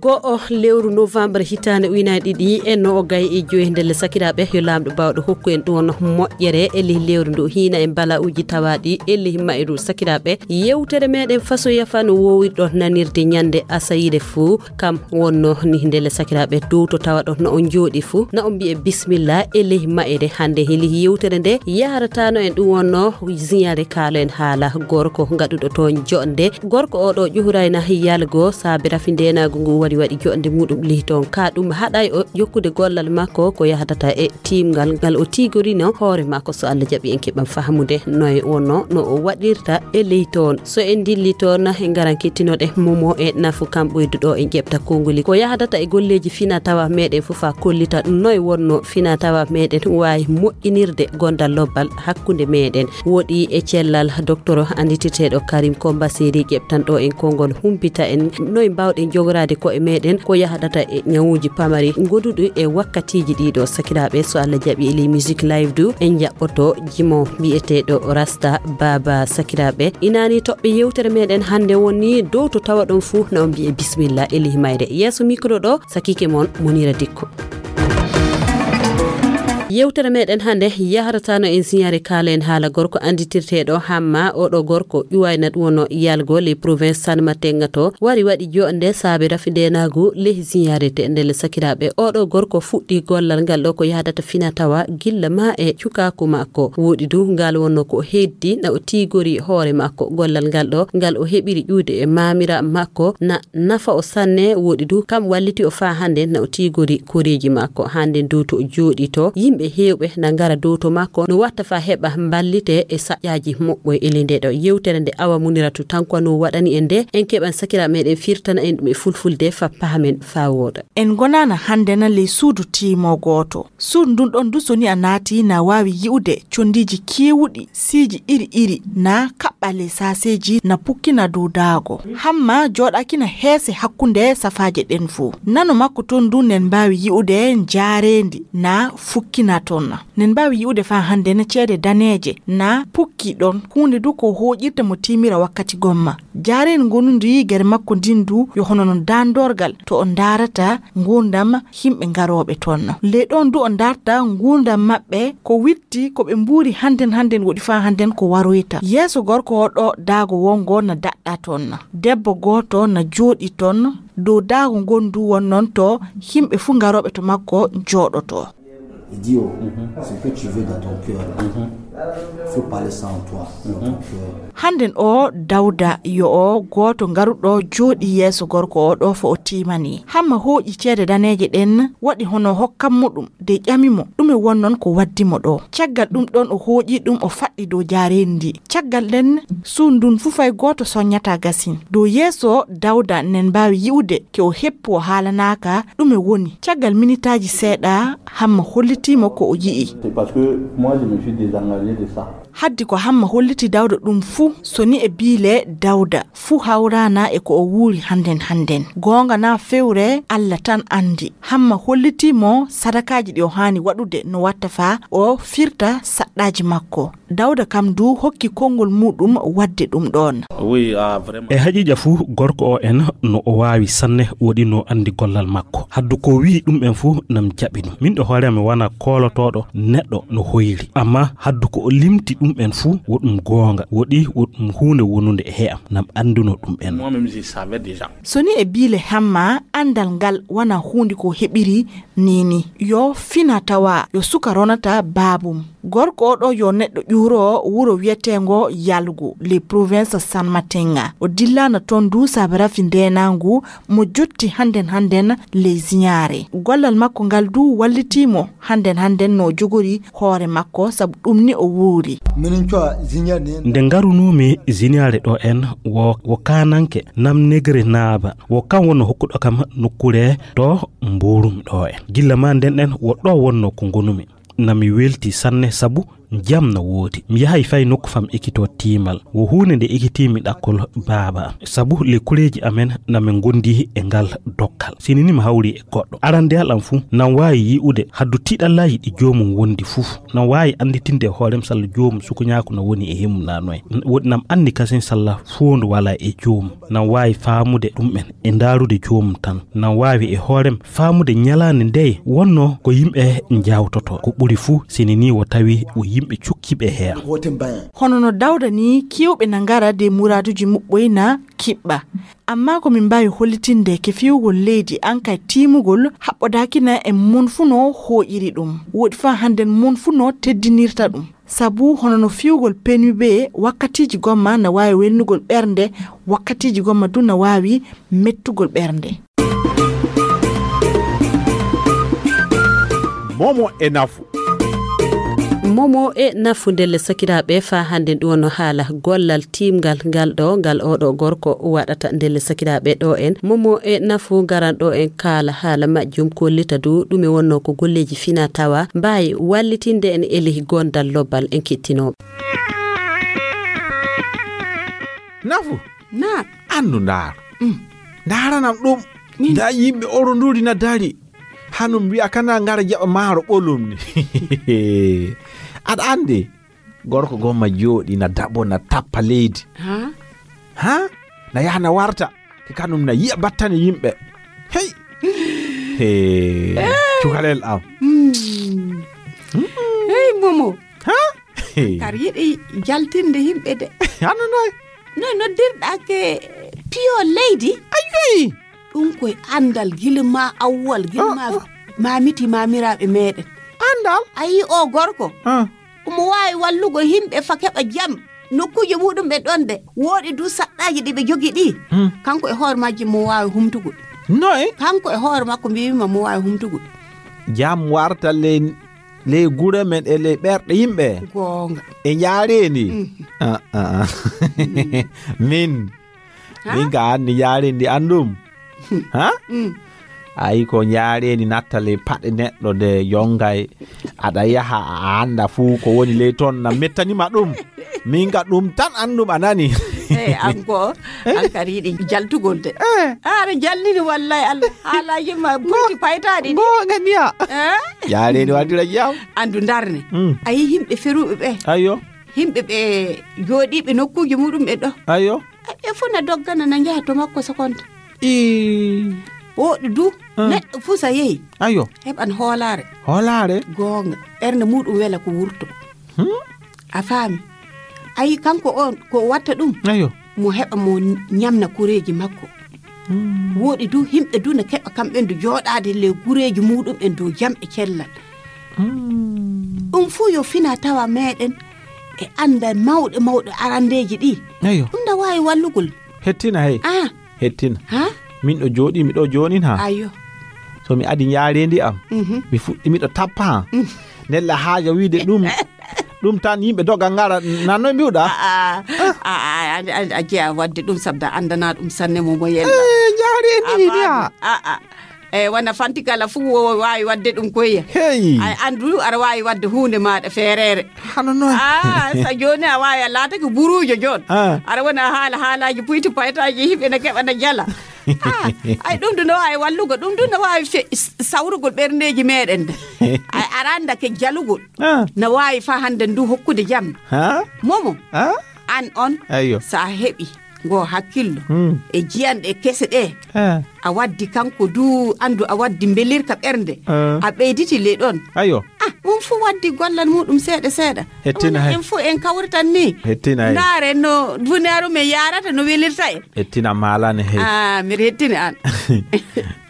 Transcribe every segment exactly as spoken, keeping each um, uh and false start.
Go'o lewru novembre hitaande ujunaaji ɗiɗi e noogay e joyi. Ndelle sakiraaɓe, yo Laamɗo baawɗo hokku en ɗum wonno moƴƴere e ley lewru ndu, hiina e bala'uuji tawaaɗi e ley mayru. Sakiraaɓe, yewtere meɗen fasoya fa no woowirɗo nanirde ñande asayire fuu, kam wonno ni. Ndelle sakiraaɓe, dow to tawaɗon no on jooɗi fuu, na on mbi'e bismillah e ley mayre. Hannde hili yewtere nde yaharataano en ɗum wonno ziyaare, kaalo en haala gorko gaɗuɗo toon joɗnde. Gorko o ɗo ƴuhurayna yalgo saabe rafi ndeenaagu ngu wari waɗi joɗnde muɗum ley toon. Ka ɗum haɗay o jokkude gollal makko ko yahdata e tiimgal ngal o tiigorino hoore makko. So Allah jaɓi en keɓan fahmude noye wonno no o waɗirta e ley toon. So en dilli toon, en ngaran kettinoɗe momo e nafu kam ɓoyduɗo en ƴeɓta konngoli ko yahdata e golleeji fina tawa meɗen fof a kollita noye wonno fina tawa meɗen waawi moƴƴinirde gondal lobbal hakkunde meɗen. Woɗi e cellal docteur anditirteɗo Karim Komba Seri ƴeɓtanɗo en konngol humpita en noye mbawɗen jogoraade ko e meɗen ko yahdata e ñawuuji pamari goduɗi e wakkatiiji ɗiɗo. Sakiraaɓe, so Allah jaɓi e ley musique live du en jaɓɓoto jimo mbiyeteeɗo Rasta Baba. Sakiraaɓe, inani toɓɓe yewtere meɗen hannde woni dow to tawaɗon fuu na on mbiye bismillah e ley mayre. Yeeso micro ɗo, sakiike mon Munira Dikko. Yewtere meɗen hannde yaharataano en siñaare kaala en haala gorko anditirteeɗo Hamma. Oɗo gorko ƴuwayna ɗum wono yalgo ley province San Matenga to wari waɗi joɗnde saabe rafi ndeenaagu ley siñaare te ndelle sakiraaɓe. Oɗo gorko fuɗɗi gollal ngal ɗo ko yahdata fina tawa gilla ma e cukaaku makko. Woɗi du ngal wonno ko heddi na o tiigori hoore makko. Gollal ngal ɗo ngal o heɓiri ƴuude e maamira makko na nafa o sanne. Woɗi du kam walliti o faa hannde na o tiigori koreeji makko. Hannde dow to o jooɗi to yimɓe heewɓe na ngara dow to makko no watta faa heɓa mballite e saƴƴaaji moɓɓo e ley nde ɗo yewtere nde Awa Muniratu Tanko no waɗani en nde. En keɓan sakiraaɓe meɗen firtana en ɗum e fulfulde fa pahamen faa wooɗa. En ngonaana hannde na ley suudu tiimo gooto. Suudu ndun ɗon du so ni a naati na waawi yi'ude condiiji keewuɗi, siiji iri iri na kaɓɓa ley saaseeji na pukkina dow daago. Hamma jooɗaaki na heese hakkunde safaaje ɗen fuu. Nano makko ton du nen mbaawi yi'ude jaareendi na fukkina ton. Nen mbaawi yi'ude faa hannde na ceede daneeje na pukki ɗon. Huunde du ko hooƴirta mo tiimira wakkati gomma. Jaareendi ngonundi gere makko ndin du yo hono non daandorgal to o ndaarata nguurndam yimɓe garooɓe toon. Ley ɗoon du o ndaarta nguurndam maɓɓe ko witti ko ɓe mbuuri hannden hannden woɗi faa hannden ko waroyta. Yeeso gorko o ɗo daago wongo na daɗɗa toon. Debbo gooto na jooɗi toon dow daago ngon du won noon to yimɓe fuu garooɓe to makko jooɗoto. Il dit, oh, ce que tu veux dans ton cœur, là, faut parler ça en toi, dans ton cœur. Hannden o Dawda yo o gooto garuɗo jooɗi yeeso gorko o ɗo fo o tiimani. Hamma hooƴi ceede daneeje ɗen waɗi hono hokkam mo ɗum de ƴami mo ɗume won noon ko waddi mo ɗo. Caggal ɗum ɗon o hooƴi ɗum o faɗɗi dow jaareendi ndi. Caggal ɗen suundun fuu fay gooto soññata gasin. Dow yeeso Dawda nen mbaawi yi'ude ke o heppu o haalanaaka ɗume woni. Caggal minitaaji seeɗa Hamma hollitii mo ko o yi'i. C'est parce que moi, je me suis désengagé de ça. Haddi ko Hamma holliti Dawda ɗum fuu so ni e biile Dawda fuu hawraana e ko o wuuri hannden hannden. Goonga naa fewre Alla tan anndi. Hamma hollitii mo sadakaaji ɗi o haani waɗude no watta faa o firta saɗɗaaji makko. Dawda kam du hokki konngol muuɗum waɗde ɗum ɗoon. Oui, ah, vraiment. E haqiiqa fuu gorko o en no o waawi sanne woɗi no anndi gollal makko. Haddu ko wi'i ɗum en fuu nam jaɓi ɗum. Min ɗo hoore am mi wona koolotooɗo neɗɗo no hoyri. Amma haddu ko o limti ɗum en fuu wo ɗum goonga. Woɗi wo ɗum huunde wonunde e he'am nam annduno ɗum en. Moi-même, je savais déjà. So ni e biile Hamma anndal ngal wona huunde ko heɓiri Niini yo fina tawa yo suka ronata baabum. Gorko oɗo yo neɗɗo ƴuuro wuro wiyeteengo Yalgu, les provinces San Matenga. O dillaana toon du saabe rafi ndeenaangu mo jotti hannden hannden ley ziyaare. Gollal makko ngal du wallitii mo hannden hannden no o jogori hoore makko sabu ɗum ni o wuuri. Minin cuwa ziyaare ne. Nde ngarunoomi ziyaare ɗo en wo, wo kaananke nam negre naaba. Wo kam wonno hokkuɗo kam nokkuure to mbuurum ɗo en. Gilla ma nden ɗen wo ɗo wonno ko ngonumi. Na mi welti sanne sabu Jam na woodi. Mi yahay fay nokku fam ekitoo tiimal. Wo huunde nde ekitiimi ɗakkol baaba am. Sabu le kureeji amen na min ngondi e ngal dokkal. Sini ni mi hawri e goɗɗo. Arandeyal am fuu, nan waawi yi'ude haddu tiiɗallaaji ɗi joomum wondi fuu. Nan waawi annditinde e hoorem salla joomum sukuñaaku no woni e himmu na noy. Woɗi nam anndi kasin salla foondu walaa e joomum. Nan waawi faamude ɗum'en e ndaarude joomum tan. Nan waawi e hoorem faamude ñalaande ndeye wonnoo ko yimɓe njaawtotoo. Ko ɓuri fuu, sini ni wo tawi wo yimɓe cukkiiɓe heen. Hono no Dawda ni, keewɓe na ngara de muraaduuji muɓɓoy na kiɓɓa. Ammaa ko min mbaawi hollitinde ke fiyugol leydi, an kay tiimugol haɓɓodaaki na e mon fuu no hooƴiri ɗum. Woɗi faa hannden mon fuu no teddinirta ɗum. Sabu hono no fiyugol penibe, wakkatiiji gomma na waawi welnugol ɓernde, wakkatiiji gomma du na waawi mettugol ɓernde. Momo e nafu. Momo e nafu ndelle sakiraaɓe, faa hannden ɗum wonno haala gollal tiimngal ngal ɗo, ngal oɗo gorko waɗata ndelle sakiraaɓe ɗo en. Momo e nafu ngaran ɗo en kaala haala majjum, kollita du ɗume wonno ko golleeji fina tawa mbaawi wallitinde en e ley gondal lobbal en kettinooɓe. Nafu. Na. Andu ndaaru. Mm. Ndaaranam ɗum. Min. Nda yimɓe oronduri na dari. Hanum wi'a kana ngara jaɓa maaro ɓolum ni. Aɗa andi gorko gomma jooɗi na daɓo na tappa leydi. Ha? Ha? Na yaha na warta. Ke kanum na yi'a battane yimɓe. Hey. Hey. Cukalel am. Mm. Hey, Momo. Ha? Hey. Kar yiɗi jaltinde yimɓe de. Hano noy? No noddirɗa ke piyo leydi? Ayoyi. Ɗum koye andal gila ma awwal, gila ma Ah, ah. mamiti mamiraaɓe meɗen. Andal? A yi o gorko? Ah. Omo waawi wallugo yimɓe fa keɓa jam. Nokkuuje muɗum ɓe ɗon de. Wooɗi du saɗɗaaji ɗi ɓe jogi ɗi. Hmm. Kanko e hoore majji mo waawi humtugol. Noy? Kanko e hoore makko mbiyima mo waawi humtugol. Jam warta ley, ley gure men e ley ɓerɗe yimɓe. Goonga. E njaareendi. Mhm. Ah, ah, ah. Min. Ha? Min ka anndi njaareendi anndum. Ha? Mm. Ayi ko njaareendi natta ley paɗe neɗɗo de yongay. Aɗa yaha a annda fuu ko woni ley toon na mettanima ɗum. Min ka ɗum tan anndum a nani. Eh, an ko, an kadi yiɗi jaltugol de. Eh. Aɗa jalnini wallay Allah. Haalaaji ma buti paytaaɗi ɗi. Goonga niya. Eh? Njaareendi waɗira jam. Andu ndarne. Mm. A yi yimɓe feruɓe ɓe. Ayo. Yimɓe ɓe jooɗiiɓe nokkuuji muɗum ɓe ɗo. Ayo. Ɓe fof na doggana na njaha to makko sokonta. I. Wooɗi du, Ah. neɗɗo fuu sa yehi, Ayo. heɓan hoolaare. Hoolaare. Goonga. Ɓernde muɗum wela ko wurto. Hmm? A faami? Ayi kanko on ko watta ɗum? Ayo. Mo heɓa mo ñamna kureeji makko. Hmm. Wooɗi du, yimɓe du na keɓa kamɓe du jooɗaade le gureeji muɗum en dow jam e cellal. Hmm. Ɗum fuu yo fina tawa meɗen e annda mawɗe mawɗe arandeeji ɗi. Ayo. Ɗum na waawi wallugol. Hettina hey. Ah, Hettina. Ha? Min ɗo jooɗi, mi ɗo joonin ha. Ayo. So mi adi njaareendi am, Mhm. mi fuɗɗi miɗo tappa ha. Nella haaja wiide ɗum, ɗum tan yimɓe doga ngara, nan noy mbiwɗa? A, a, a, a, a, a jeya wadde ɗum sabda andana ɗum sanne mo mo yella. Eh, njaareendi ni niya. A, a. E wona fanti kala fuu wo waawi wadde ɗum koye. Hey. Ay andu aɗa waawi wadde huunde maaɗa feereere. Hano noon. Ah, sa jooni a waawi a laatake buruujo joon. Ah. Aɗa wona haala haalaaji puyti paytaaji yimɓe ne keɓa ne jala. Ah, ay ɗum du no waawi wallugo, ɗum du no waawi fe- s- sawrugol ɓerndeeji meɗen de. Ay aɗa annda ke jalugol. Ah. No waawi fa hannde ndu hokkude jam. Ha? Momo, Ah? An on, Ayo. Sa heɓi ngo hakkillo Hmm. e jiyanɗe kese ɗe, Ah. a waddi kanko du, andu a waddi mbelirka ɓernde. Ah. A ɓeyditi ley ɗon. Ayo. Ah, ɗum fuu waddi gollal muɗum seeɗa seeɗa. Hettina Ɗum hay. En fuu en kawritan ni. Hettina hay. Ndaaren no duniyaaru men yaarata, no welirta en. Hettina maalane hey. Ah, miɗa hettini an.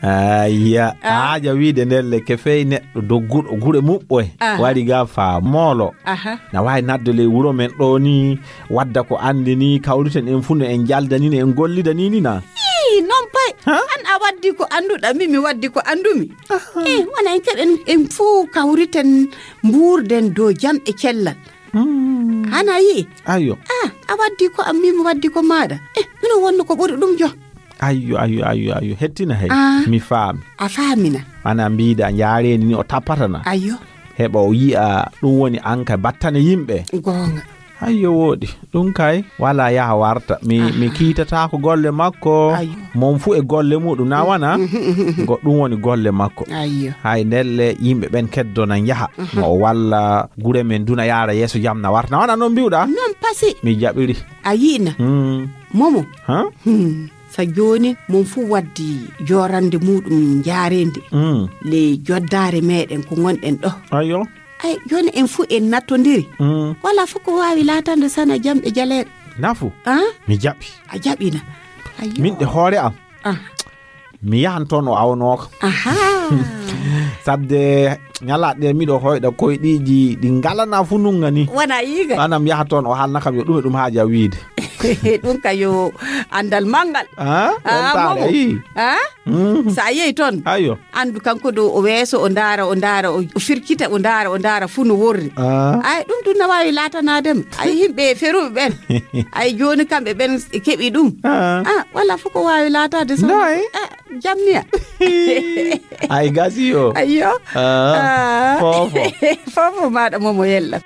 Ayya, Ah. Haaja wiide nden le ke fey neɗɗo dogguɗo gure muɓɓoy. Aha. Wari ga fa moolo. Aha. Na waawi nadde ley wuro men ɗo ni, wadda ko anndi ni, kawriten en fuu no en njalda ni, no en gollida ni ni na. Ii, non pay. Ha? An a waddi ko annduɗa, min mi waddi ko anndumi. Eh, wona en keɓen, en fuu kawriten, mbuurden dow jam e cellal. Hmm. Hana yi'i? Ayo. Ah, a waddi ko am, min mi waddi ko maaɗa. Eh, mino wonno ko ɓuri ɗum jo. Ayo, ayo, ayo, ayo. Hettina hey. Ah. Mi faami. A faamina. Ana mbiɗa njaareendi ni o tappatana. Ayo. heɓa o yi'a ɗum woni an ka battane yimɓe. Goonga. Ayyo, wooɗi. Ɗum kay, wala yaha warta. Mi, mi kiitataako golle makko. Ayyo. Mon fu e golle muɗum, na wana? Mhm, mhm, mhm. Go ɗum woni golle makko. Ayyo. Hay ndelle yimɓe ɓen keddo nan yaha. Mhm. No o walla gure men duna yaara yeeso jam na warta. Na wana non mbiwɗa? Non pasi. Mi jaɓiri. A yi'na? Mm. Momo? Ha? Hmm. Sa jooni, mon fu waddi joorande muɗum njaarende. Mm. Le joddaare meɗen ko ngonɗen ɗo. Ayyo. Ay, jooni en fu en nattondiri. Mm. Wala fu ko waawi laatande sana jam e jaleeɗe. Nafu? Ah? Mi jaɓi. A jaɓina. Ayyo. Min ɗe hoore am. Ah. Mi yahan toon o awnooka. Aha. Sabde ñalaaɗe ɗe miɗo hoyɗa koyɗiiji ɗi ngalana fu nunga ni. Wona yiga. Anam yaha toon o haalna kam yo ɗum e ɗum haaja wiide. Ɗum ka yo anndal manngal. Ah? Ah, ɗon taale, momo. Ayi. Ah? Mm. Sa yehi toon. Ayo. Anndu kanko ɗo o weeso, o ndaara, o ndaara, o, o firkita, o ndaara, o ndaara, fu no worri. Ah. Ay, ɗum ɗum na waawi laatanaade mo. Ay, yimɓe feruɓe ɓen. Ay, jooni kamɓe ɓen keɓi ɗum. Ah. Ah, wala fof ko waawi laataade so. Noy? Ah, jamniya. Ay, gasi o. Ayyo. Ah. Ah. Fofo. Fofo maaɗa momo yella.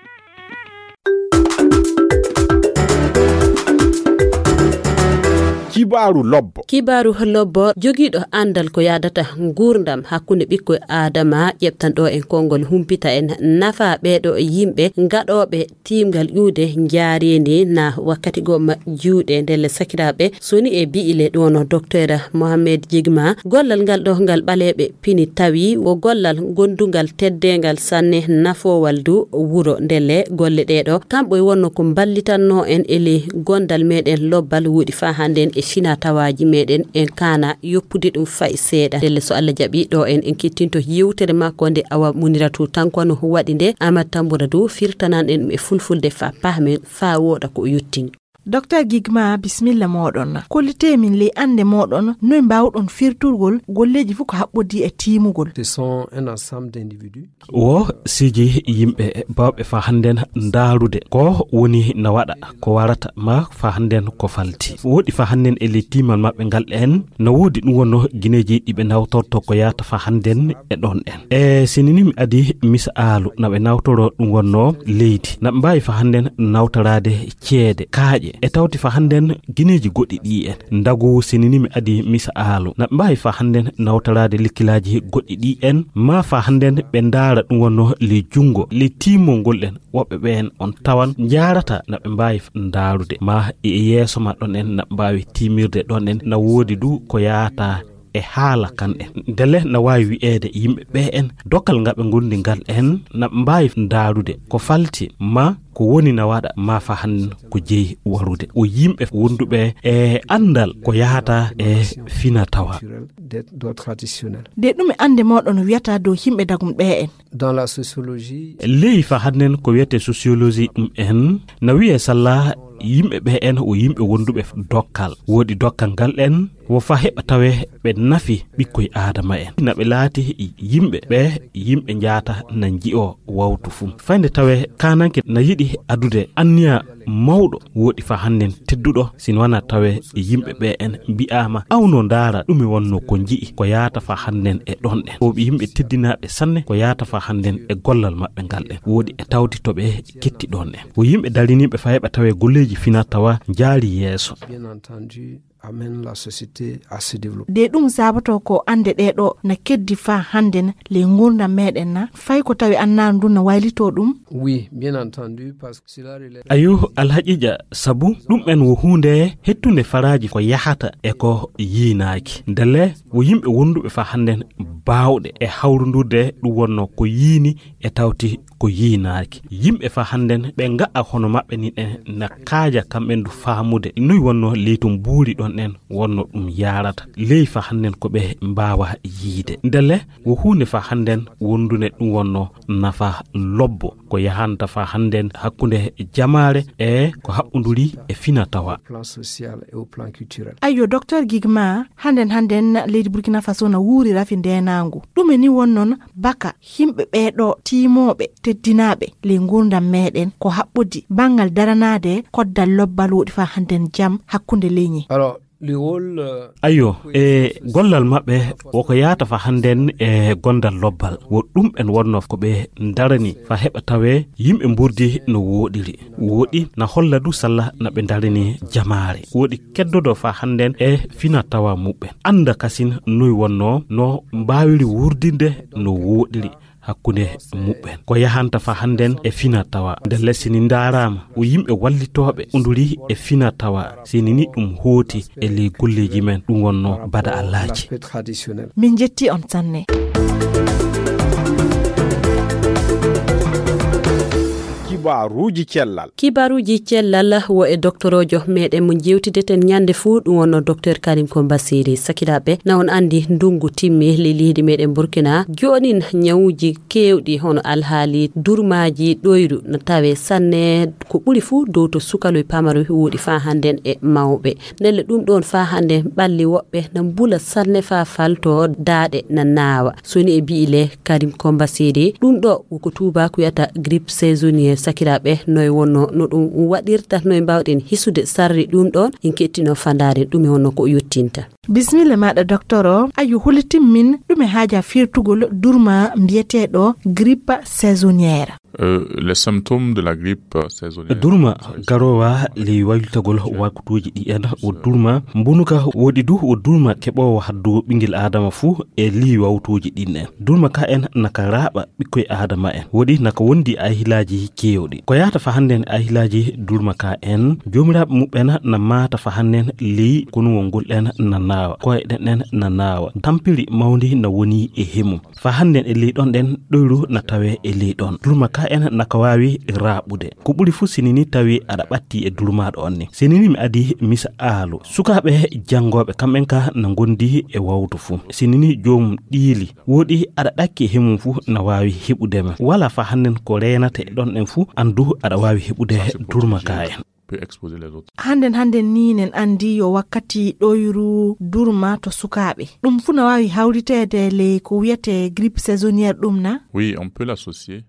Kibaaru lobbo. Kibaaru lobbo, jogiiɗo anndal ko yaadata nguurndam hakkunde ɓikkoy Aadama, ƴeɓtanɗo en konngol, humpita en nafa ɓeeɗo yimɓe gaɗooɓe tiimgal ƴuude njaareendi na wakkati goo ma juuɗe. Ndelle sakiraaɓe, so ni e bi'ile ɗum wonno Docteur Mohamed Jigma, gollal ngal ɗo ngal ɓaleeɓe pini tawi wo gollal gondungal teddeengal sanne, nafoowal du wuro. Ndelle golle ɗee ɗo, kamɓe wonno ko mballitannoo en e ley gondal meɗen lobbal, woɗi faa hannden e fina tawaaji meɗen, en kaana yoppude ɗum fay seeɗa. Ndelle so Allah jaɓi ɗo en, en kettinto yewtere makko nde Awa Muniratu Tanko no waɗi nde, Amat Tambura du firtanan en ɗum e fulfulde faa pahmen, faa wooɗa ko o yottini. Docteur Gigma, bismilla mooɗon. Kollitee min ley annde mooɗon, noy mbaawɗon firturgol golleeji fof ko haɓɓodii e tiimugol? Ce sont un ensemble d'individus. Wo siji yimɓe baawɓe faa hannden ndaarude ko woni na waɗa, ko warata, ma faa hannden ko falti. Woɗi faa hannden e ley tiimal maɓɓe ngal en, na woodi ɗum wonno gineeji ɗi ɓe nawtorto ko yaata faa hannden e ɗon en. E sinini mi adi misaalu, na ɓe nawtoro ɗum wonno leydi. Na ɓe mbaawi faa hannden nawtoraade ceede, kaaƴe. E tawti faa hannden gineeji goɗɗi ɗi en. Ndagu sinini mi adi misaalu. Na ɓe mbaawi faa hannden nawtoraade lekkilaaji goɗɗi ɗi en. Ma faa hannden ɓe ndaara ɗum wonno ley junngo, ley tiimol ngol en. Woɓɓe ɓeen on tawan njaarata na ɓe mbaawi ndaarude. Ma e yeeso ma ɗon en na ɓe mbaawi tiimirde ɗon en. Na woodi du ko yaata e haala kan en. Ndele na waawi wi'eede yimɓe ɓe en, dokkal nga ɓe ngondi ngal en, na mbaawi ndaarude ko falti ma ko woni na waɗa ma faa hannden ko jeyi warude. Wo yimɓe wonduɓe e anndal ko yahata e fina tawa. Des, des traditionnels. De ɗum e annde mooɗon wiyata dow yimɓe dagum ɓe en? Dans la sociologie. Ley faa hannden ko wiyetee sociologie ɗum en, na wiyee salla yimɓe ɓe en wo yimɓe wonduɓe dokkal. Woodi dokkal ngal en, wo faa heɓa tawe ɓe nafi ɓikkoy Aadama en. Na ɓe laati yimɓe ɓe, yimɓe njaata na nji'oo wawtu fuu. Fay nde tawe kaananke na yiɗi adude anniya mawɗo, woɗi faa hannden tedduɗo, si wanaa tawe yimɓe ɓe en mbi'aama, awno ndaara ɗume wonno ko nji'i, ko yaata faa hannden e ɗon en. Wo ɓe yimɓe teddinaaɓe sanne, ko yaata faa hannden e gollal maɓɓe ngal en. Woɗi e tawti to ɓe ketti ɗon en. Wo yimɓe dariniiɓe faa heɓa tawe golleeji fina tawa njaari yeeso. Bien entendu, amène la société à se développer. De ɗum sabato ko annde ɗee ɗo na keddi faa hannden ley nguurndam meɗen na, fay ko tawi annaandu ndu na waylitoo ɗum? Oui, bien entendu, parce que cela relève. Ayo, alhaqiiqa, sabu ɗum en wo huunde hettunde faraaji ko yahata e ko yiinaaki. Ndele wo yimɓe wonduɓe faa hannden baawɗe e hawrundurde ɗum wonno ko yiini e tawti ko yiinaaki. Yimɓe faa hannden ɓe nga'a hono maɓɓe ni en na kaaja kamɓe ndu faamude noy wonno leytum buuri ɗon en wonno ɗum yaarata. Ley faa hannden ko ɓe mbaawa yiide. Ndele wo huunde faa hannden wondunde ɗum wonno nafa lobbo ko yahanta faa hannden hakkunde jamaare e ko haɓɓunduri e fina tawa. Plan social et au plan culturel. Ayyo, Docteur Gigma, hannden, hannden leydi Burkina Faso na wuuri rafi ndeenaangu. Ɗume ni wonnon baka yimɓe ɓee ɗo tiimooɓe, teddinaaɓe ley nguurndam meɗen ko haɓɓodi banngal daranaade koddal lobbal woɗi faa hannden jam hakkunde leñi? Alors, Ayyo, e gollal maɓɓe woko yahata fa hannden e gondal lobbal. Wo ɗum en wonno ko ɓe ndarani fa heɓa tawee yimɓe mburdi no wooɗiri. Wooɗi na holla du salla na ɓe ndarani jamaare. Wooɗi keddodo fa hannden e fina tawa muɓɓen. Annda kasin noy wonno no mbaawiri wurdinde no wooɗiri hakkunde muɓɓen. Ko yahanta fa hannden e fina tawa. Nde lesini ndaaraama o yimɓe wallitooɓe unduri e fina tawa. Sini ni ɗum hooti e ley golleeji men ɗum wonno bada Allaaji. Min jetti on sanne. Kibaruuji cellal. Kibaruuji cellal wo e doktorojo meɗen mo jewtideten ñande fuu ɗum wonno docteur Karim Komba Siri. Sakiraaɓe, na on andi ndungu timmi ley leydi meɗen Burkina. Joonin ñawuuji keewɗi hono alhaali durmaaji ɗoyru na tawe sanne ko ɓuri fuu dow to sukaloy pamaroy wooɗi faa hannden e mawɓe. Ndelle ɗum ɗoon faa hannden ɓalli woɓɓe na mbula sanne faa falto daaɗe na naawa. So ni e bi'i le Karim Komba Siri, ɗum ɗo woko tuubaaku wiyata grippe saisonnière. Sakiraaɓe, noy wonno no ɗum waɗirta, noy mbaawɗen hisude sarri ɗum ɗoon? En kettino fandaare ɗum e wonno ko o yottinta. Bisimilla maaɗa, docteur o. Ayo, hollitin min ɗume haaja firtugol durma mbiyeteeɗo grippe saisonnière? Euh, les symptômes de la grippe saisonnière. Durma garowa ley waylitagol waktuuji ɗi en o durma mbunuka woɗi du o durma keɓoowo haddu ɓingel aadama fuu e lii wawtuuji ɗin en. Durma ka en naka raaɓa ɓikkoy aadama en. Woɗi naka wondi ahilaaji keewɗi. Ko yahata fa hannden ahilaaji durma ka en, joomiraaɓe muɓɓen na maata fa hannden ley konuwol ngol en na naawa, koye ɗen en na naawa. Tampiri mawndi na woni e hemum. Fa hannden e ley ɗon ɗen ɗoyru na tawe e ley ɗon. Durma ka en naka waawi raaɓude. Ko ɓuri fuu sinini tawi aɗa ɓatti e durmaaɗo on ni. Sinini mi adi misa aalu. Sukaaɓe janngooɓe kamɓen ka na ngondi e wawtu fuu. Sinini joomum ɗiili. Woɗi aɗa ɗakki e hemum fuu na waawi heɓude ma. Wala fa hannden ko reenata e ɗon ɗen fuu anndu aɗa waawi heɓude durma ka en. Peut exposer les autres. Hannden, hannden ni nen andi yo wakkati ɗoyru durma to sukaaɓe. Ɗum fuu na waawi hawriteede ley ko wiyetee grippe saisonnière ɗum na? Oui, on peut l'associer.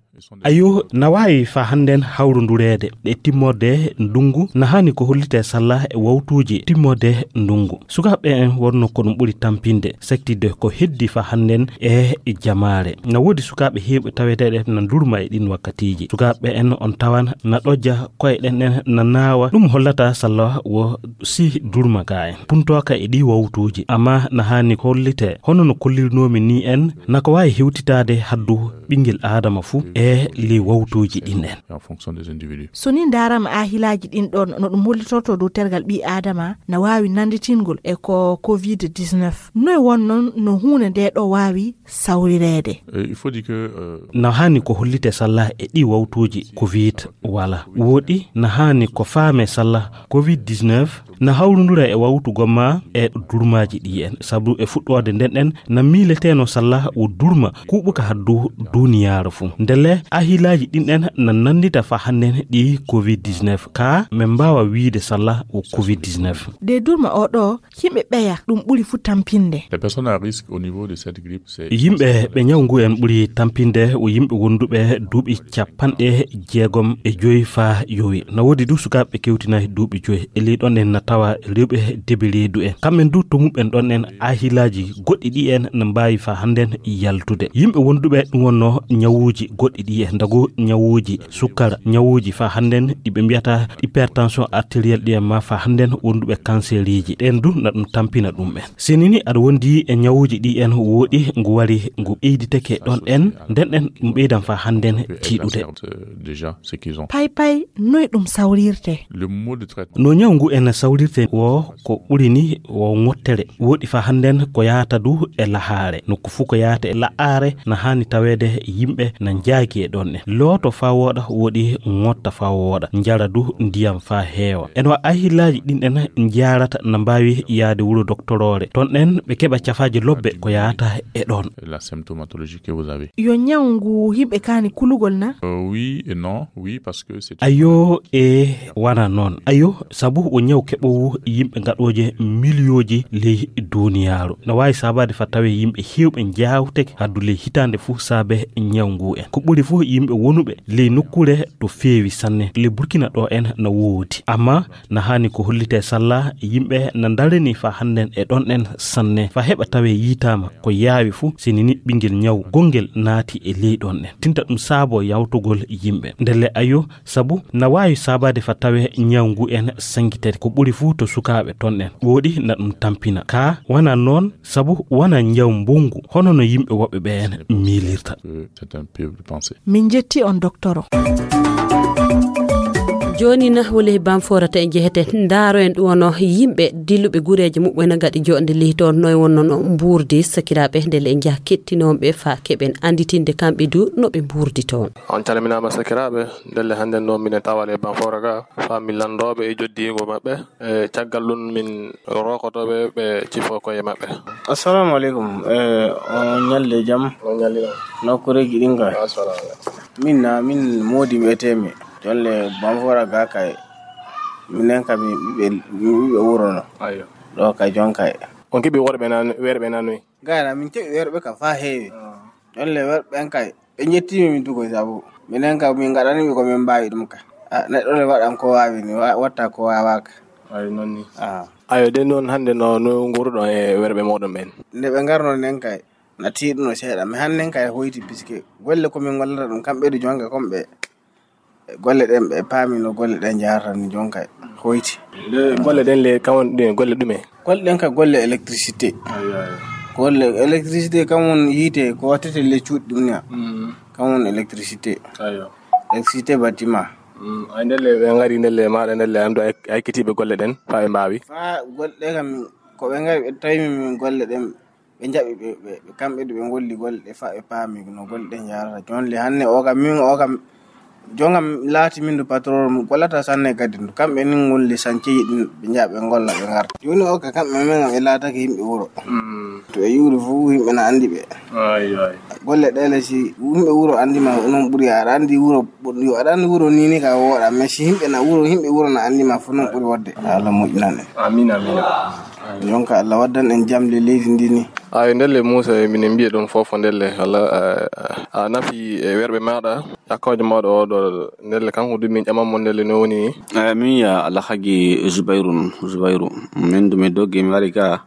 Ayo, na waawi fa hannden hawrundureede. Ɗe timmorde ndungu na haani ko hollitee salla e wawtuuji timmorde ndungu. Sukaaɓe en wonno ko ɗum ɓuri tampinde, saktidde ko heddi fa hannden e jamaare. Na woodi sukaaɓe heewɓe taweteeɗe na ndurma e ɗin wakkatiiji. Sukaaɓe en on tawan na ɗojja koye ɗen en na naawa. Ɗum hollata salla wo si durma ka en puntooka e ɗi wawtuuji. Amma na haani hollitee hono no kollirnoomi ni en na ko waawi hewtitaade haddu ɓingel aadama fuu e ley wawtuuji ɗin en. En fonction des individus. So ni ndaarama ahilaaji ɗin ɗon no ɗum hollitorto dow tergal ɓii aadama na waawi nanditingol e ko covid dix-neuf. Noy won non no huunde nde ɗo waawi sawrireede? Euh, il faut dire que, euh, na haani ko hollite salla e ɗi wawtuuji covid wala. Woɗi na haani ko faame salla covid dix-neuf na hawrundura e wawtu gomma e durmaaji ɗi en. Sabu e fuɗɗoode nden en na miileteno salla wo durma kuɓuka haddu duniyaaru fuu. Ndelle ahilaaji ɗin en na nandita fa hannden ɗi covid dix-neuf. Ka men mbaawa wiide salla wo covid dix-neuf. De durma o ɗo, yimɓe ɓeya ɗum ɓuri fuu tampinde. Les personnes à risque au niveau de cette grippe, c'est yimɓe ɓe ñaw ngu en ɓuri tampinde wo yimɓe wonduɓe duuɓi capanɗe jeegom e joyi faa yowi. Na woodi du sukaaɓe kewtinaaki duuɓi joyi. E ley ɗon en na tawa rewɓe debi reedu en. Kamɓen du to muɓɓen ɗon en ahilaaji goɗɗi ɗi en na mbaawi fa hannden yaltude. Yimɓe wonduɓe ɗum wonno ñawuuji goɗɗi ɗi en, ndago ñawuuji sukkara, ñawuuji fa hannden ɗi ɓe mbiyata hypertension artérielle ɗi en ma fa hannden wonduɓe canceruuji. Ɗen du na ɗum tampina ɗum en. Sinini aɗa wondi e ñawuuji ɗi en wooɗi ngu wari ngu ɓeyditake ɗon en, nden en ɗum ɓeydan fa hannden tiiɗude. Déjà, ce qu'ils ont. Pay pay, noy ɗum sawrirte? Le mode de traitement. No ñaw ngu en sawrirte wo ko ɓuri ni wo ŋottere. Woɗi fa hannden ko yahata du e lahaare. Nokku fuu ko yahata e lahaare na haani taweede yimɓe na njaagi e ɗon en. Looto fa wooɗa woɗi ŋotta fa wooɗa. Njara du ndiyam fa heewa. En wa ahilaaji ɗin en njaarata na mbaawi yaade wuro doktoroore. Ton en ɓe keɓa cafaaji lobbe ko yahata e ɗon. La symptomatologie que vous avez. Yo ñaw ngu yimɓe kaani kulugol na? Euh, oui et non. Oui, parce que c'est. Ayo e wana noon. Ayo, sabu o ñaw keɓ ɓowu yimɓe gaɗooje miliyooji ley duniyaaru. No waawi saabaade fa tawe yimɓe heewɓe njaawteke haddu ley hitaande fuu saabe ñaw ngu en. Ko ɓuri fuu yimɓe wonuɓe ley nokkuure to feewi sanne. Ley Burkina ɗo en no woodi. Amma na haani ko hollitee salla yimɓe na ndarani fa hannden e ɗon en sanne. Fa heɓa tawe yiitaama ko yaawi fuu sinini ɓinngel ñaw gonngel naati e ley ɗon en. Tinta ɗum saabo yawtugol yimɓe. Ndelle ayo, sabu na waawi saabaade fa tawe ñaw ngu en sangitede ko ɓuri fuu to sukaaɓe ton en. Wooɗi na ɗum tampina. Kaa wana noon, sabu wana ñaw mbonngu, hono no yimɓe woɓɓe ɓeen miilirta. Euh, c'est un peu de pensée. Min njetti on, doktoro. Jooni na wole Bamfoora ta en jehete. Ndaaro en ɗum wono yimɓe dilluɓe gureeje muɓɓen gaɗi joɗnde leydi toon, noy wonno no mbuurdi sakiraaɓe, ndelle en njaha kettinooɓe fa keɓen annditinde kamɓe du no ɓe mbuurdi toon. On calminaama sakiraaɓe, ndelle hannden ɗo minen tawa le Bamfoora ga, fa mi lanndooɓe e joddiingo maɓɓe. E caggal ɗum, min rokotoɓe ɓe cifo koye maɓɓe. Assalamu aleykum. E, on ñalli jam? On ñalli jam. Nokkureeji ɗin ka? Assalamu aleykum. Min na, min Moodi mbiyetee-mi. Jolle Bamfoora ga kay. Minen ka mi ɓiɓɓe, mi ɓiɓɓe wuro no. Ayyo. Ɗo kay jon kay. On keɓi worɓe nan, werɓe nan noy? Gayna min keɓi werɓe ka faa heewi. Ah. Jolle werɓe ɓen kay. Ɓe njettiima min tugo sabu minen kam min ngaɗani ɓe ko min mbaawi ɗum ka. A, neɗɗo ne waɗan ko waawi ni, wa-, watta ko waawaaka. Ay, noon ni. Ah. Ayo, den noon hannde no, no nguuruɗon e werɓe mooɗon ɓen? Nde ɓe ngarno nden kay, na tiiɗuno seeɗa. Mi hannden kay hoyti, puisque golle ko min ngollata ɗum, kamɓe du jonga kon ɓe, golle ɗen ɓe paami no golle ɗen jaharta ni, jon kay hoyti. Nde golle ɗen le, kam woni ɗum e golle ɗume? Golle ɗen ka golle électricité. Ayo, ayo. Golle électricité kam woni yiite ko wattete le cuuɗi ɗum ni. Mm. Kam woni électricité. Ayo. Électricité bâtiment. Mm. Ay, ndelle ɓe ngari ndelle maaɗa ndelle anndu ay, ay kitiiɓe golle ɗen fa ɓe mbaawi? Fa golle ɗen kam ko ɓe ngari ɓe tawi min, min golle ɗen ɓe njaɓi ɓe, ɓe, ɓe kamɓe du ɓe ngolli golle ɗe fa ɓe paami no golle ɗen jaharata. Jon le hanne o kam min o kam Jongam laati min du patron mo gollata sanne gaddi ndu. Kamɓe ni ngolli sanceji ɗin ɓe njaha ɓe ngolla ɓe ngarta. Jooni o ka kamɓe men ɓe laatake yimɓe wuro. Mm. To ɓe yuuri fof yimɓe na anndi ɓe. Ay, ay. Golle ɗe le si yimɓe wuro anndi ma noon ɓuri aɗa anndi wuro ɓoɗɗo aɗa anndi wuro ni ni ka wooɗa. Mais si yimɓe na wuro yimɓe wuro na anndi ma fof noon ɓuri wodde. Allah moƴƴinan en. Amin, amin. Jonka Allah waddan en jam le leydi ndi ni. Ay ndelle Moussa minen mbiya ɗum fof ndelle Allah a, a nafi e werɓe maɗa. Yakkoojo mawɗo oo ɗoo, ndelle kanko du min ƴaman mo ndelle no woni ni? Eh, min ya Alhaji Zubairu nun, Zubairu. Min du mi doggi mi wari ga,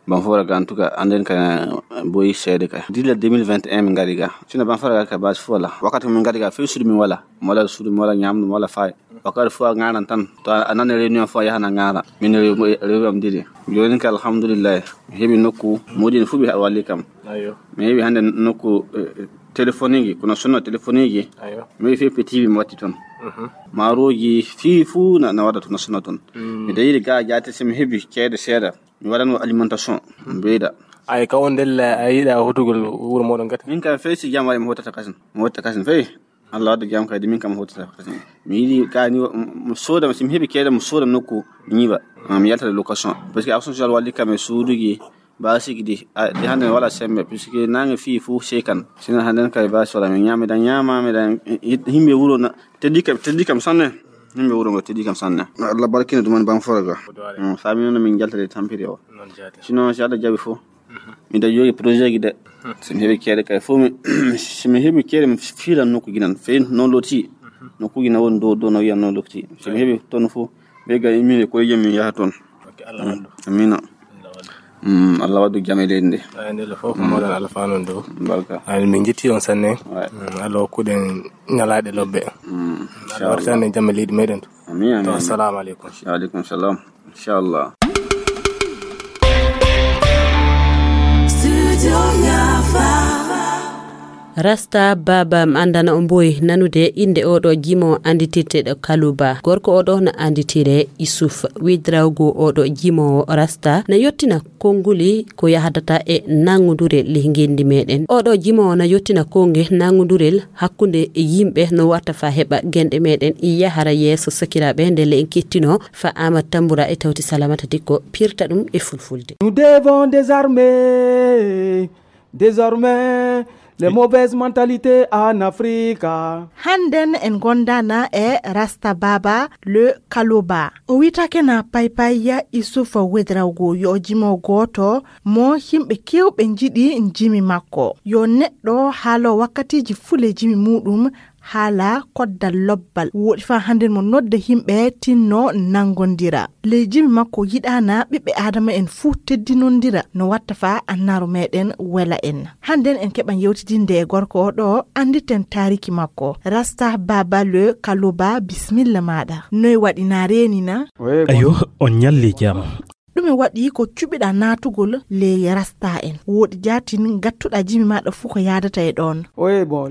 ban fo wara ga, en tout cas, anden ka boyi seede kay. Dila deux mille vingt et un min ngari ga. Sino ban fo wara ga ka basi fo wala. Wakkati min ngari ga, fey suudu min wala. Mi wala suudu, mi wala ñamdu, mi wala fay. Wakkati fo a ngaran tan. To a nani réunion fo a yahana ngara. Min rewi, rewi am didi. Jooni ka alhamdulillah. Mi heɓi nokku, moodin fu ɓe walli kam. Ayo. Mi heɓi hannde nokku, eh, téléphonique, kono sonno téléphonique. Ayo. Mi heɓi fii petit mi watti toon. Mhm. Maaroji fii fuu na, na waɗa toon, na sonna toon. Mm. Mi dayiri ga jaate, si mi heɓi ceede seeɗa, mi waɗano alimentation, mi ɓeyda. Ay, ka on ndelle a yiɗa hotugol wuro mooɗon gati? Min kam fey si jam waɗi mi hottata kasin. Mi hottata kasin fey. Allah wadda jam kadi min kam hottata kasin. Mi yiɗi ka ni mo, mo sooda, si mi heɓi ceede mo sooda nokku mi ñiiɓa. Ma mi yalta location. Parce que action social walli kam e suuduji, basiki di, a, di hannde mi wala sembe, puisque nange fii fu sekan. Sina hannde kay basi wala mi ñaami dan ñaama, mi dan yimɓe wuro na, teddi kam, teddi kam sanne. Yimɓe wuro ngo teddi kam sanne. Allah barkina ɗum en ban foroga. Mm, sami noon min jaltade tampiri o. Noon jaati. Sinon si Allah jaɓi fu. Mhm. Miɗa jogii projet ji de. Mhm. Si mi heɓi ceede kay fof mi, si mi heɓi ceede mi fiilan nokkuji nan. Fey noon loti. Mhm. Nokkuji na woni dow, dow na wiyan noon loti. Si mi heɓi toon fof, ɓe ga min e koye jam min yaha toon. Ok, Allah wallu. Amina. Allah wallu. Mm, Allah waddu jam e leydi ndi. Ay, ndelle fof ko mawɗon alfanu ɗo. Barka. Ay, min njetti on sanne. Ouais. Mm, Allah hokkuɗen ñalaaɗe lobbe. Mm, Allah wartane jam e leydi meɗen. Amin, amin, to, amin. Assalamu aleykum. Wa aleykum salam. Inchallah. Rasta Baba, mi anndana on mboy nanude innde oɗo jimo annditirteɗo Kaluba. Gorko oɗo na annditire Isuf. Widrawgo oɗo jimo Rasta na yottina konnguli ko yahdata e nanngudurel ley ngenndi meɗen. Oɗo jimo na yottina konnge nanngudurel hakkunde e yimɓe no warta fa heɓa genɗe meɗen yahara yeeso sakiraaɓe, ndelle en kettino fa Amat Tambura e tawti Salamata Dikko pirta ɗum e fulfulde. Nous devons désarmer, désormais, Des mauvaises mentalités en Afrique. Hannden en ngondaana e Rasta Baba le Kaloba. O wiyetaake na Paypay Isufa Wedrawgo, yo o jimo gooto mo yimɓe keewɓe njiɗi jimi makko. Yo neɗɗo haalo wakkatiiji fuu le jimi muuɗum haala koddal lobbal. Wooɗi faa hannden mo nodda yimɓe tinno nanngondira. Le jimi makko yiɗaana ɓiɓɓe Aadama en fuu teddinondira no watta faa annaaru meeɗen wela en. Hannden en keɓan yewtidinde e gorko o ɗo, annditen taariki makko. Rasta Baba le Kaloba, bismilla maaɗa. Noy waɗi na reeni na? Ayo, on ñalli jam. Ɗume waɗi ko cuɓiɗa naatugol ley Rasta en? Wooɗi jaatin ngattuɗa jimi maaɗa fuu ko yaadata e ɗoon.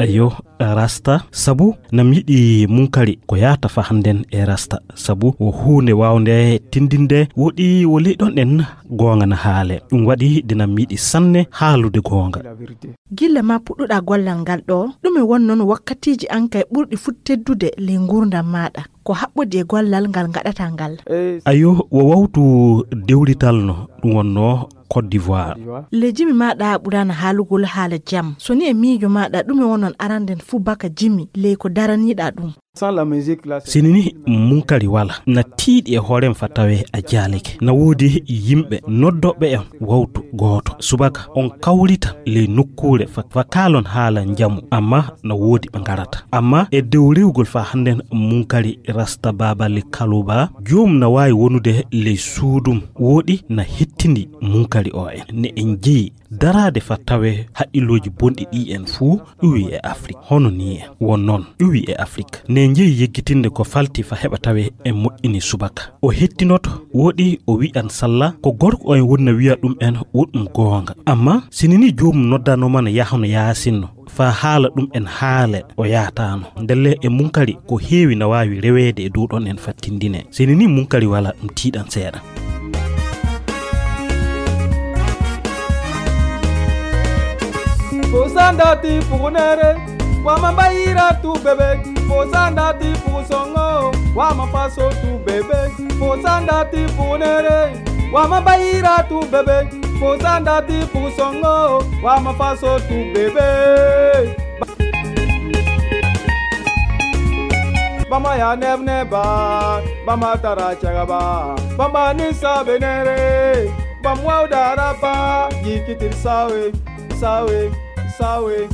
Ayo, Rasta, sabu nam yiɗi munkari ko yaata fa hannden e Rasta, sabu wo huunde waawnde tindinde, woɗi wo ley ɗon en goonga na haale. Ɗum waɗi de nam yiɗi sanne haalude goonga. Gilla ma puɗɗuɗa gollal ngal ɗo, ɗume won noon wakkatiiji an kay ɓurɗi fuu teddude ley nguurndam maaɗa? Ko haɓɓodi e gollal ngal ngaɗata ngal? Ayo, wo wawtu dewrital no ɗum wonnoo Côte d'Ivoire. Le jimi maaɗa ɓuraana haalugol haala jam. So ni e miijo maaɗa, ɗume won noon aranden fuu baka jimi ley ko daraniiɗa ɗum? Sini ni munkari wala, na tiiɗi e hoorem fa tawe a jaalike. Na woodi yimɓe noddooɓe en wawtu gooto. Subaka on kawrita ley nokkuure fa, fa kaalon haala njamu, amma na woodi ɓe ngarata. Amma e dow rewgol fa hannden munkari Rasta Baba le Kaluba, joom na waawi wonude ley suudum, wooɗi na hettindi munkari o en. Ne en jeyi daraade fa tawe haqqillooji bonɗi ɗi en fuu ƴuwi e Afrik. Hono ni en won noon ƴuwi e Afrik. Ne jeyi yeggitinde ko falti fa heɓa tawe en moƴƴini subaka. O hettinoto, wooɗi o wi'an salla, ko gorko o en woni na wi'a ɗum en wo ɗum goonga. Amma sini ni joomum noddanooma no yaha no yaasinno, faa haala ɗum en haale o yaataano. Ndelle e munkari ko heewi na waawi reweede e dow ɗon en fattindine. Sini ni munkari wala ɗum tiiɗan seeɗa. Fosanda ti pugunere, wama bayira tu bebe. Fosanda ti pugusongo, wama faso tu bebe. Fosanda ti pugunere, wama bayira tu bebe. Fosanda ti pugusongo, wama faso tu bebe. Bama ya nebne ba, bama tara chagaba, bama ni sabe nere, bam wawda rapa, yikitir sawe, sawe, sawe,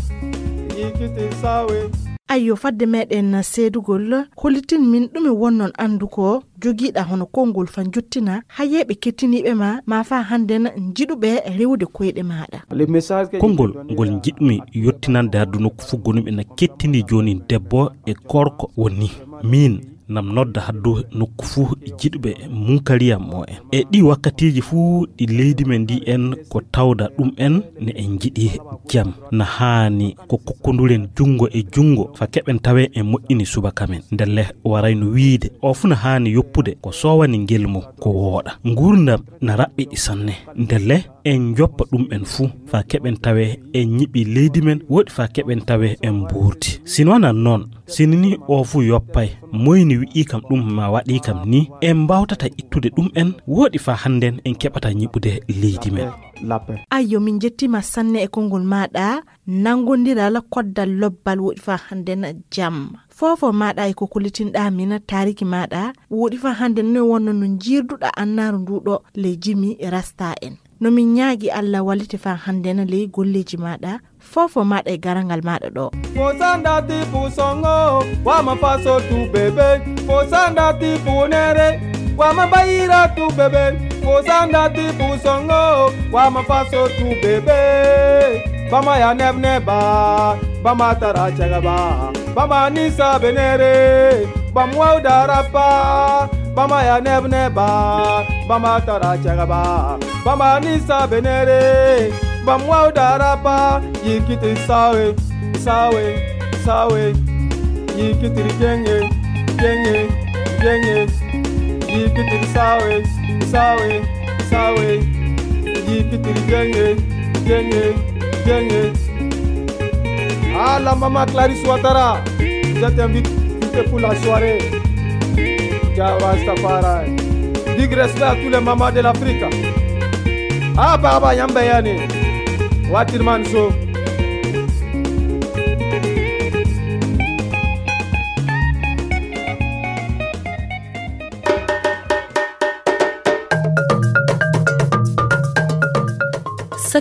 yikitir sawe. Ayyo, fadde meɗen seedugol, hollitin min ɗume wonnon anndu ko jogiiɗa hono konngol fa njottina hayeeɓe kettiniiɓe ma, ma fa hannden njiɗuɓe rewude koyɗe maaɗa. Konngol ngol njiɗmi yottinande haddu nokku fuu gonuɓe na kettini joonin debbo e gorko woni min nam nodda haddu nokku fuu jiɗuɓe munkariyam mo en. E ɗi wakkatiiji fuu ɗi leydi men ndi en ko tawda ɗum en ne en njiɗi jam. Na haani ko kokkonduren junngo e junngo fa keɓen tawe en moƴƴini subaka men. Ndelle waray no wiide o fuu na haani yoppude ko soowani ngel mo ko wooɗa. Nguurndam na raɓɓiɗi sanne. Ndelle en njoppa ɗum en fuu fa keɓen tawe en ñiɓi leydi men, woɗi fa keɓen tawe en mbuurdi. Sino nan noon, sini ni o fuu yoppay, moyni wi'i kam ɗum ma waɗi kam ni, en mbaawtata ittude ɗum en, woɗi fa hannden en keɓata ñiɓude leydi men. Ayyo, min njettima sanne e konngol maaɗa, nanngondiral koddal lobbal woɗi fa hannden jam. Foofo maaɗa e ko kollitinɗa min taariki maaɗa, woɗi fa hannden no wonno no njiirduɗa annaaru ndu ɗo ley jimi rasta en. No min ñaagi Alla wallite fa hannden ley golleeji maaɗa, foofo maaɗa e garangal maaɗa ɗo. Fosanda ti pugusongo, wama faso tu bebe. Fosanda ti pugunere, wama bayira tu bebe. Fosanda ti pugusongo, wama faso tu bebe. Bama ya nebne ba, bama tara chagaba, bama ni sabe nere, bam wawda rapa, bama ya nebne ba, bama tara chagaba, bama ni sabe nere, bam wawda rapa, yikiti sawe, sawe, sawe, yikiti jenge, jenge, jenge, yikiti sawe, sawe, sawe, yikiti jenge, jenge, jenge. Ah, la maman Clarisse Ouattara, je t'invite, invite pour la soirée. Java Rastafari. Big respect à tous les mamans de l'Afrique. Ah, Baba Yamba Yani. Watirman So.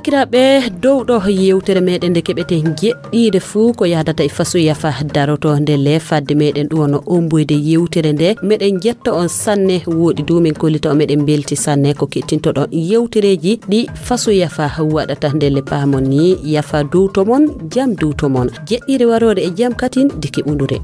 Sakiraaɓe, dow ɗo yewtere meɗen nde keɓeten jeɗɗiiɗe fuu ko yahdata e faso yafa daroto nde le fadde meɗen ɗum wano omboyde yewtere nde. Meɗen jetta on sanne, woɗi du min kollita on meɗen belti sanne ko kettintoɗon yewtereeji ɗi faso yafa waɗata nde le. Paamon ni yafa duwto mon, jam duwto mon. Jeɗɗiire waroore e jam katin deke ɓundure.